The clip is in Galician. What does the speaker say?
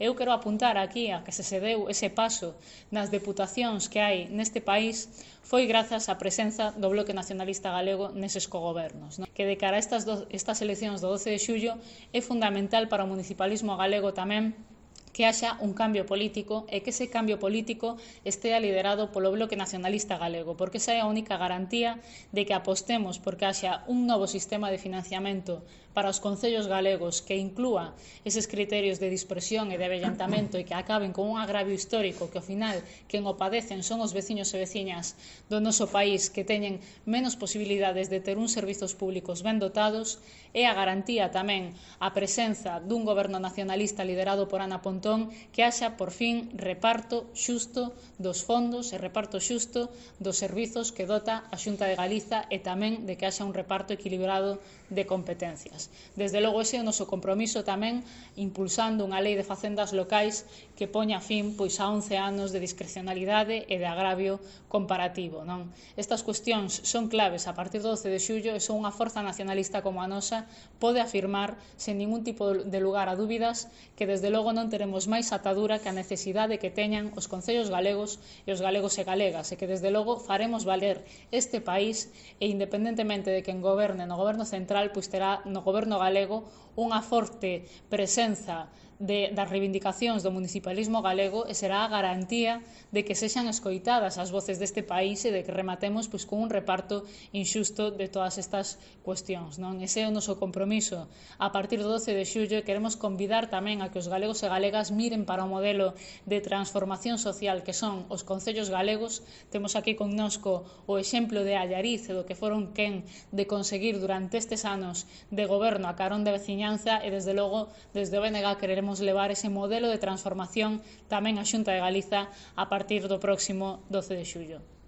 Eu quero apuntar aquí a que se deu ese paso nas deputacións que hai neste país foi grazas á presenza do Bloque Nacionalista Galego neses cogobernos, non? Que de cara a estas eleccións do 12 de xullo é fundamental para o municipalismo galego tamén que haxa un cambio político e que ese cambio político estea liderado polo Bloque Nacionalista Galego, porque esa é a única garantía de que apostemos porque haxa un novo sistema de financiamento para os concellos galegos que inclúa eses criterios de dispersión e de avellantamento e que acaben con un agravio histórico que ao final quen o padecen son os veciños e veciñas do noso país que teñen menos posibilidades de ter uns servizos públicos ben dotados e a garantía tamén a presenza dun goberno nacionalista liderado por Ana Pontón que haxa por fin reparto xusto dos fondos e reparto xusto dos servizos que dota a Xunta de Galiza e tamén de que haxa un reparto equilibrado de competencias. Desde logo ese é o noso compromiso tamén impulsando unha lei de facendas locais que poña fin pois a 11 anos de discrecionalidade e de agravio comparativo, non? Estas cuestións son claves a partir do 12 de xullo e son unha forza nacionalista como a nosa pode afirmar sen ningún tipo de lugar a dúbidas que desde logo non teremos máis atadura que a necesidade que teñan os concellos galegos e os galegos e galegas e que desde logo faremos valer este país e independentemente de quen goberne no goberno central pois terá no goberno galego unha forte presenza das reivindicacións do municipalismo galego e será a garantía de que sexan escoitadas as voces deste país e de que rematemos pois, con un reparto inxusto de todas estas cuestións, non? Ese é o noso compromiso a partir do 12 de xullo e queremos convidar tamén a que os galegos e galegas miren para o modelo de transformación social que son os concellos galegos. Temos aquí connosco o exemplo de Allariz e do que foron quen de conseguir durante estes anos de goberno a carón de veciñanza e desde logo desde o BNG queremos levar ese modelo de transformación tamén á Xunta de Galiza a partir do próximo 12 de xullo.